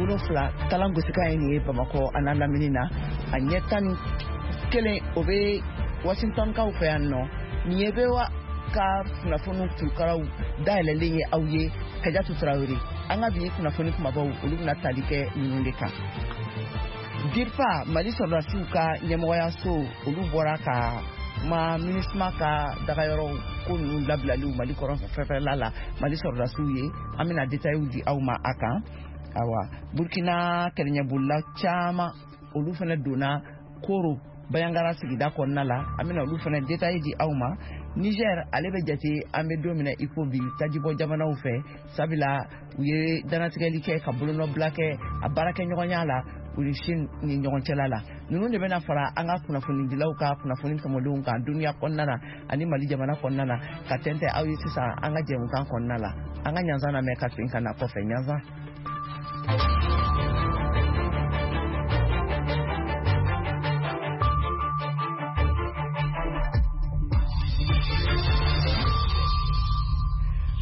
7 kalan gosikan ye nin ye Bamakɔ a n'a lamini na, a ɲɛ 11 o bɛ Washington kaw fɛ yan nɔ. Nin ye VOA ka kunnafoniw turukaraw dayɛlɛlen ye aw ye. Kajatu Tarawele, an ka bi kunnafoni kumabaw, olu bɛna tali kɛ ninnu de kan. DIRPA, Mali sɔrɔdasiw ka ɲɛmɔgɔyaso, olu bɔra ka kuma MINUSMA ka dagayɔrɔw ko ninnu labilaliw Mali kɔrɔn fɛfɛla la Mali sɔrɔdasiw ye. An bɛna détails di aw ma a kan. Awa, Burkina kɛlɛɲɛbolila caman, olu fana donna Koro Bayangara sigida kɔnɔna la. An bɛna olu fana détails di aw ma. Niger, ale bɛ jate an bɛ don min na i ko bi tajibɔ jamanaw fɛ, sabula u ye dannatigɛli kɛ ka bolonɔbila kɛ a baarakɛɲɔgɔnya la u ni Chine ni ɲɔgɔn cɛla la. Ninnu de bɛna fara an ka kunnafonidilaw ka kunnafoni tɔmɔlenw kan duniya kɔnɔna na ani Mali jamana kɔnɔna na ka tɛntɛn aw ye sisan an ka jɛmukan kɔnɔna la. An ka ɲanzan lamɛn ka segin ka na kɔfɛ. Ɲanzan.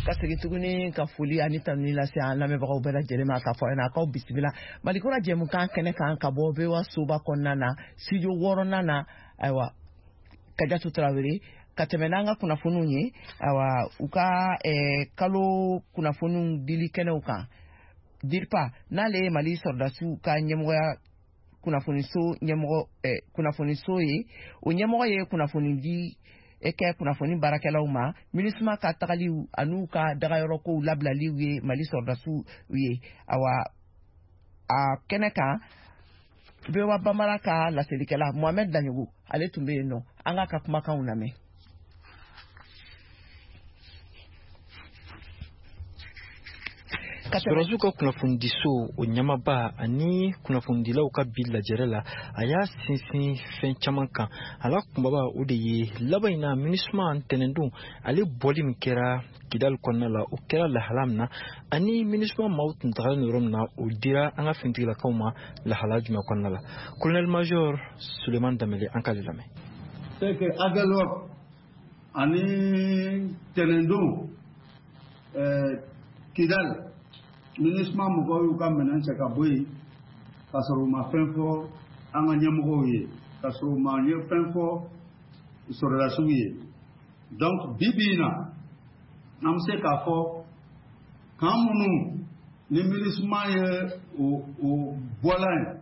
Ka segin tuguni ka foli ani tanuni lase an lamɛnbagaw bɛɛ lajɛlen ma, k'a fɔ a ɲɛna k'aw bisimila Malikura jɛmukan kɛnɛ kan ka bɔ VOA soba kɔnɔna na, studio 6nan na. Ayiwa, Kajatu Tarawele, ka tɛmɛ n'an ka kunnafoniw ye. Ayiwa, u ka kalo kunnafoniw dili kɛnɛw kan, DIRPA, n'ale ye Mali sɔrɔdasiw ka ɲɛmɔgɔya kunnafoniso ɲɛmɔgɔ, kunnafoniso ye, o ɲɛmɔgɔ ye kunnafoni di kɛ kunnafoni baarakɛlaw ma MINUSMA ka tagaliw an'u ka dagayɔrɔkow labilaliw ye Mali sɔrɔdasiw ye. Awa, a kɛnɛ kan, VOA Bambara ka laselikɛla Mohamed Daɲogo, ale tun bɛ yen nɔ. An k'a ka kumakanw lamɛn. Sɔrɔdasiw ka kunnafonidiso o ɲɛmaaba ani kunnafonidilaw ka bi lajɛrɛ la, a y'a sinsin fɛn caman kan. A la kunbaba, o de ye laban in na MINUSMA ntɛnɛndon ale bɔli min kɛra Kidali kɔnɔna la, o kɛra lahala min na, ani MINUSMA maaw tun tagalen yɔrɔ min na, o dira an ka finitigilakaw ma lahala jumɛn kɔnɔna la. Colonel major Suleiman Danbele, an k'ale lamɛn. C'est que Aguelhok ani tɛnɛndon Kidal, MINUSMA mɔgɔw y'u ka minɛn cɛ ka bɔ yen k'a sɔrɔ u ma fɛn fɔ an ka ɲɛmɔgɔw ye, k'a sɔrɔ u ma fɛn fɔ sɔrɔdasiw ye. Donc bi bi in na, an bɛ se k'a fɔ camp minnu ni MINUSMA ye o bɔla yen,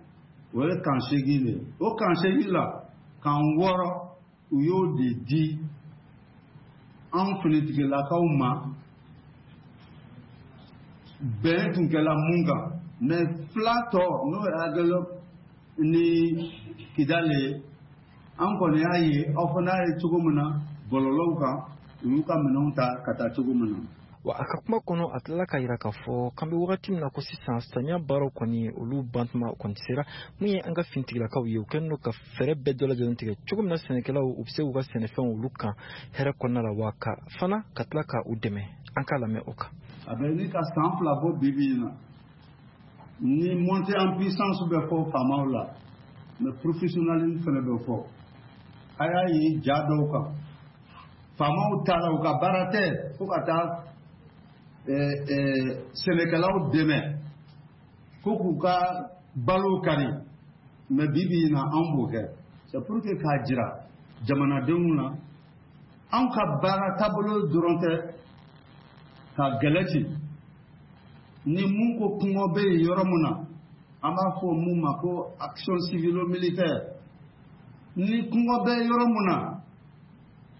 o ye camp 8 de ye. O camp 8 la, camp 6, u y'o de di an finitigilakaw ma, bɛn tun kɛla mun kan. Mais fila tɔ, n'o ye Aguelhok ni Kidali ye, an kɔni y'a ye, aw fana y'a ye cogo min na bɔlɔlɔw kan, u y'u ka minɛnw ta ka taa cogo min na. Wa a ka kuma kɔnɔ, a tilala k'a yira k'a fɔ k'an bɛ wagati min na ko sisan, samiya baaraw kɔni, olu bantuma kɔni sera. Mun ye an ka finitigilakaw ye, u kɛlen don ka fɛɛrɛ bɛɛ dɔ lajɛlen tigɛ cogo min na sɛnɛkɛlaw u bɛ se k'u ka sɛnɛfɛnw olu kan hɛrɛ kɔnɔna la, wa ka fana ka tila ka u dɛmɛ. An k'a lamɛn o kan. A bɛ ni ka san 2 bɔ bi bi in na, ni montée en puissance bɛ fɔ faamaw la, mais professionnalisme fana bɛ fɔ. A y'a ye ja dɔw kan, faamaw taara, u ka baara tɛ fo ka taa sɛnɛkɛlaw dɛmɛ ko k'u ka balo kari. Mais bi bi in na, an b'o kɛ, c'est pour que k'a jira jamanadenw na, anw ka baara taabolo dɔrɔn tɛ ka gɛlɛ ci. Ni mun ko kɔngɔ bɛ yen yɔrɔ min na, an b'a fɔ mun ma ko action civilo-militaire. Ni kɔngɔ bɛ yɔrɔ min na,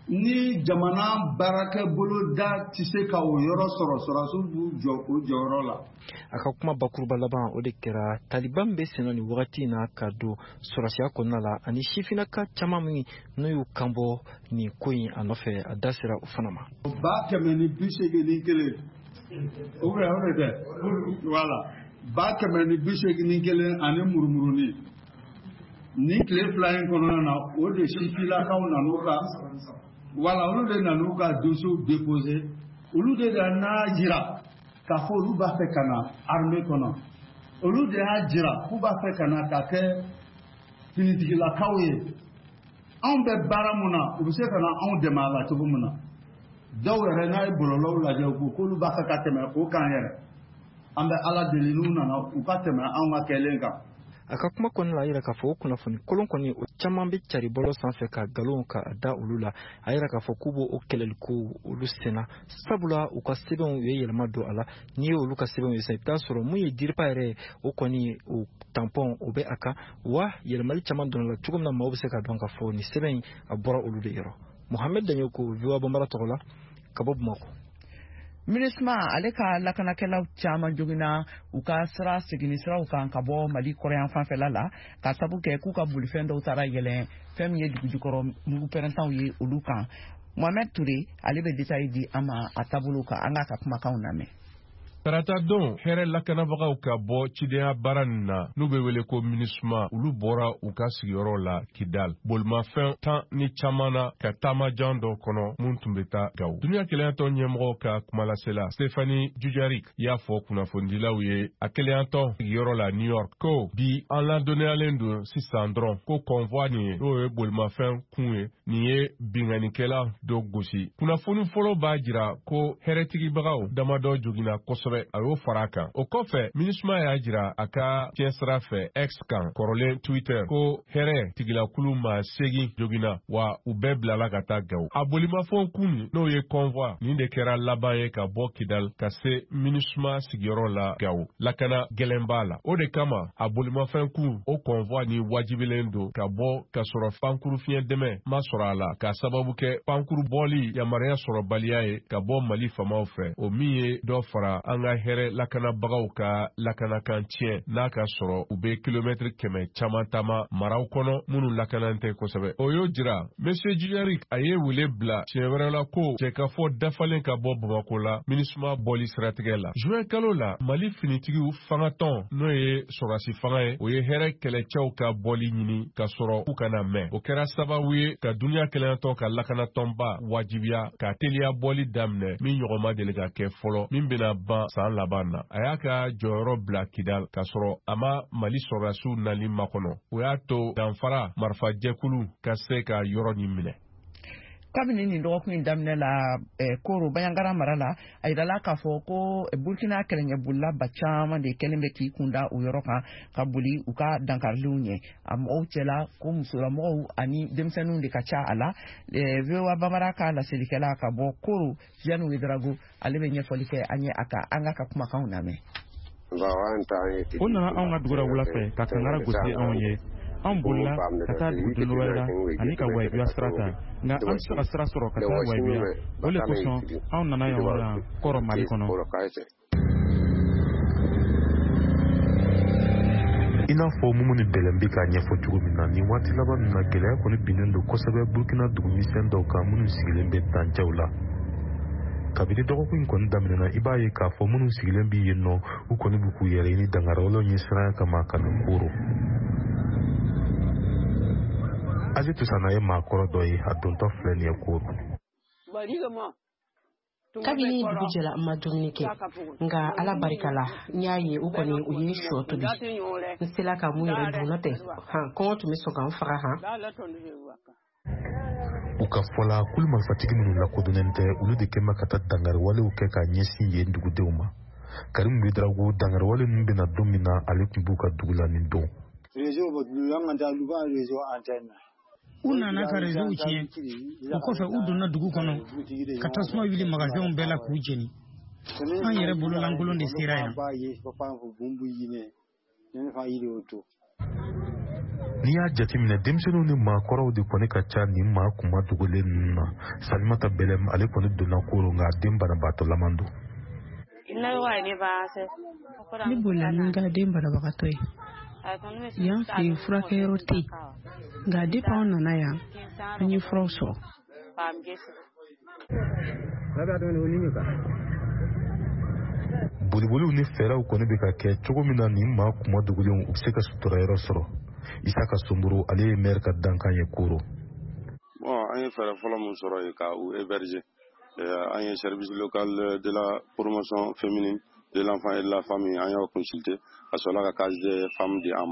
ni jamana baarakɛ boloda tɛ se ka o yɔrɔ sɔrɔ, sɔrɔdasiw b'u jɔ o jɔyɔrɔ la. A ka kuma bakuruba laban, o de kɛra taliban bɛ senna nin wagati in na ka don sɔrɔdasiya kɔnɔna la, ani sifinnaka caman min n'u y'u kanbɔ nin ko in a nɔfɛ, a da sera o fana ma. 181, ou bien o de tɛ? Voilà, 181 ani murumuruni. Ni tile 2 in kɔnɔna na, o de sifinnakaw nan'u ka, voilà, olu de nan'u ka dossier déposé. Olu de nana jira k'a fɔ olu b'a fɛ ka na armée kɔnɔ, olu de y'a jira k'u b'a fɛ ka na ka kɛ finitigilakaw ye. Anw bɛ baara mun na, u bɛ se ka na anw dɛmɛ a la cogo min na. Dɔw yɛrɛ, n'a ye bɔlɔlɔw lajɛ, u ko k'olu b'a fɛ ka tɛmɛ o kan yɛrɛ. An bɛ Ala deli, n'u nana, u ka tɛmɛ anw ka kɛlen kan. A ka kuma kɔnɔna la, a yira k'a fɔ o kunnafoni kolon kɔni, o caman bɛ cari bɔlɔ sanfɛ ka nkalon ka da olu la. A yira k'a fɔ k'u b'o kɛlɛli ko olu senna, sabula u ka sɛbɛnw, u ye yɛlɛma don a la. N'i ye olu ka sɛbɛnw ye sisan, i bɛ taa sɔrɔ mun ye DIRPA yɛrɛ ye, o kɔni o tampon o bɛ a kan wa. Yɛlɛmali caman donna la cogo min na, maaw bɛ se ka dɔn k'a fɔ nin sɛbɛn in, a bɔra olu de yɔrɔ. Mohamed Daɲoko, VOA Bambara tɔgɔ la, ka bɔ Bamakɔ. MINUSMA ale ka lakanakɛlaw caman jogina u ka sira seginni siraw kan ka bɔ Mali kɔrɔyan fanfɛla la, ka sabu kɛ k'u ka bolifɛn dɔw taara yɛlɛn fɛn min ye dugujukɔrɔ mugu pɛrɛntanw ye olu kan. Mohamed Toure, ale bɛ détail di an ma a taabolo kan. An k'a ka kumakanw lamɛn. Tarata don, hɛrɛ lakanabagaw ka bɔ cidenya baara nin na, n'u bɛ wele ko MINUSMA, olu bɔra u ka sigiyɔrɔ la Kidal bolimafɛn tan ni caman na, ka taamajan dɔ kɔnɔ mun tun bɛ taa Gawo. Duniya kelenyatɔn ɲɛmɔgɔ ka kumalasela Stephane Dujarric y'a fɔ kunnafonidilaw ye a kelenyatɔn sigiyɔrɔ la New York ko bi, an ladɔnniyalen don sisan dɔrɔn ko convoi nin ye, n'o ye bolimafɛn kun ye, nin ye binkannikɛla dɔ gosi. Kunnafoni fɔlɔ b'a jira ko hɛrɛtigibagaw damadɔ joginna kosɛbɛ, a y'o fara a kan. O kɔfɛ, MINUSMA y'a jira a ka fiɲɛ sira fɛ X kan, kɔrɔlen Twitter, ko hɛrɛ tigilakulu maa 8 joginna wa, u bɛɛ bilala ka taa Gawo. A bolimafɛnw kun, n'o ye convoi nin de kɛra laban ye ka bɔ Kidal ka se MINUSMA sigiyɔrɔ la Gawo. Lakana gɛlɛn b'a la, o de kama a bolimafɛn kun, o convoi ni wajibilen don ka bɔ ka sɔrɔ pankuru fiɲɛ dɛmɛ ma sɔrɔ a la, k'a sababu kɛ pankuru bɔli yamaruya sɔrɔbaliya ye ka bɔ Mali famaw fɛ, o min ye dɔ fara an ka hɛrɛ lakanabagaw ka lakanakan tiɲɛ, n'a ka sɔrɔ u bɛ kilomɛtiri 100 caman taama maraw kɔnɔ minnu lakanan tɛ kosɛbɛ. O y'o jira, Monsieur Dujarric a ye wele bila siɲɛ wɛrɛ la ko jɛkafɔ dafalen ka bɔ Bamako la MINUSMA bɔli siratigɛ la. Juin kalo la, Mali finitigiw fangatɔn, n'o ye sɔrɔdasi fanga ye, o ye hɛrɛ kɛlɛcɛw ka bɔli ɲini ka sɔrɔ k'u kana mɛn. O kɛra sababu ye ka duniya kelenyatɔn ka lakanatɔnba wajibiya ka teliya bɔli daminɛ min ɲɔgɔn ma deli ka kɛ fɔlɔ, min bɛna ban san laban na. A y'a ka jɔyɔrɔ bila Kidal k'a sɔrɔ a ma Mali sɔrɔdasiw nali makɔnɔ. O y'a to danfara marifajɛkulu ka se ka yɔrɔ nin minɛ. Kabini nin dɔgɔkun in daminɛ la, Koro Banjagara mara la, a yirala k'a fɔ ko Burkina kɛlɛɲɛbolila ba caman de kɛlen bɛ k'i kunda o yɔrɔ kan ka boli u ka dankariliw ɲɛ. A mɔgɔw cɛla ko musolamɔgɔw ani denmisɛnninw de ka ca a la. VOA Bambara ka laselikɛla ka bɔ Koro, Jeanne Ouédraogo, ale bɛ ɲɛfɔli kɛ an ye a kan. An k'a ka kumakanw lamɛn. O nana anw ka dugu la wula fɛ ka kangara gosi anw ye. Anw bolila ka taa dugu wɛrɛ la ani ka Wayibiya sira ta, nka an tɛ se ka sira sɔrɔ ka taa Wayibiya. O le kosɔn anw nana yan yɔrɔ la Kɔrɔ, Mali kɔnɔ. I n'a fɔ Mumuni Bɛlɛn bɛ k'a ɲɛfɔ cogo min na, nin waati laban ninnu na, gɛlɛya kɔni binnen don kosɛbɛ Burukina dugumisɛn dɔw kan minnu sigilen bɛ dancɛw la. Kabini dɔgɔkun in kɔni daminɛna, i b'a ye k'a fɔ minnu sigilen bɛ yen nɔ, u kɔni b'u k'u yɛrɛ ɲini dangariyawalew ɲɛsiranya kama ka na Koro. Azetu Sana ye maakɔrɔ dɔ ye, a dontɔ filɛ nin ye Koro. Kabini dugu jɛra, n ma dumuni kɛ, nka Ala barika la, n y'a ye u kɔni u ye shɔ tobi, n sela ka mun yɛrɛ dun, n'o tɛ han, kɔngɔ tun bɛ sɔn ka n faga han. U ka fɔ la, kulu marifatigi minnu lakodɔnnen tɛ, olu de kɛn bɛ ka taa dangariwalew kɛ ka ɲɛsin yen dugudenw ma. Karim Ouédraogo, dangariwale ninnu bɛna don min na, ale tun b'u ka dugu la nin don. U nana ka réseauw tiɲɛ. O kɔfɛ, u donna dugu kɔnɔ ka tasuma wuli magasinw bɛɛ la k'u jeni. An yɛrɛ bololankolon de sera yan. N'i y'a jateminɛ, denmisɛnninw ni maakɔrɔw de kɔni ka ca nin maa kuma dogolen ninnu na. Salimata Bɛlɛm, ale kɔni donna Koro, nka a den banabaatɔlaman don. Ne bolila ni n ka den banabagatɔ ye. Yan fɛ yen, furakɛyɔrɔ tɛ yen, nka depuis anw nana yan, an ye furaw sɔrɔ. Boliboliw ni fɛɛrɛw kɔni bɛ ka kɛ cogo min na nin maa kuma dogolenw u bɛ se ka sutura yɔrɔ sɔrɔ. Isaka Somboro, ale ye maire ka dankan ye Koro. Bon, an ye fɛɛrɛ fɔlɔ min sɔrɔ yen ka u héberger, an ye service local de la promotion féminine, de l'enfant et de la famille, an y'o consulter, a sɔrɔla ka case des femmes di an ma.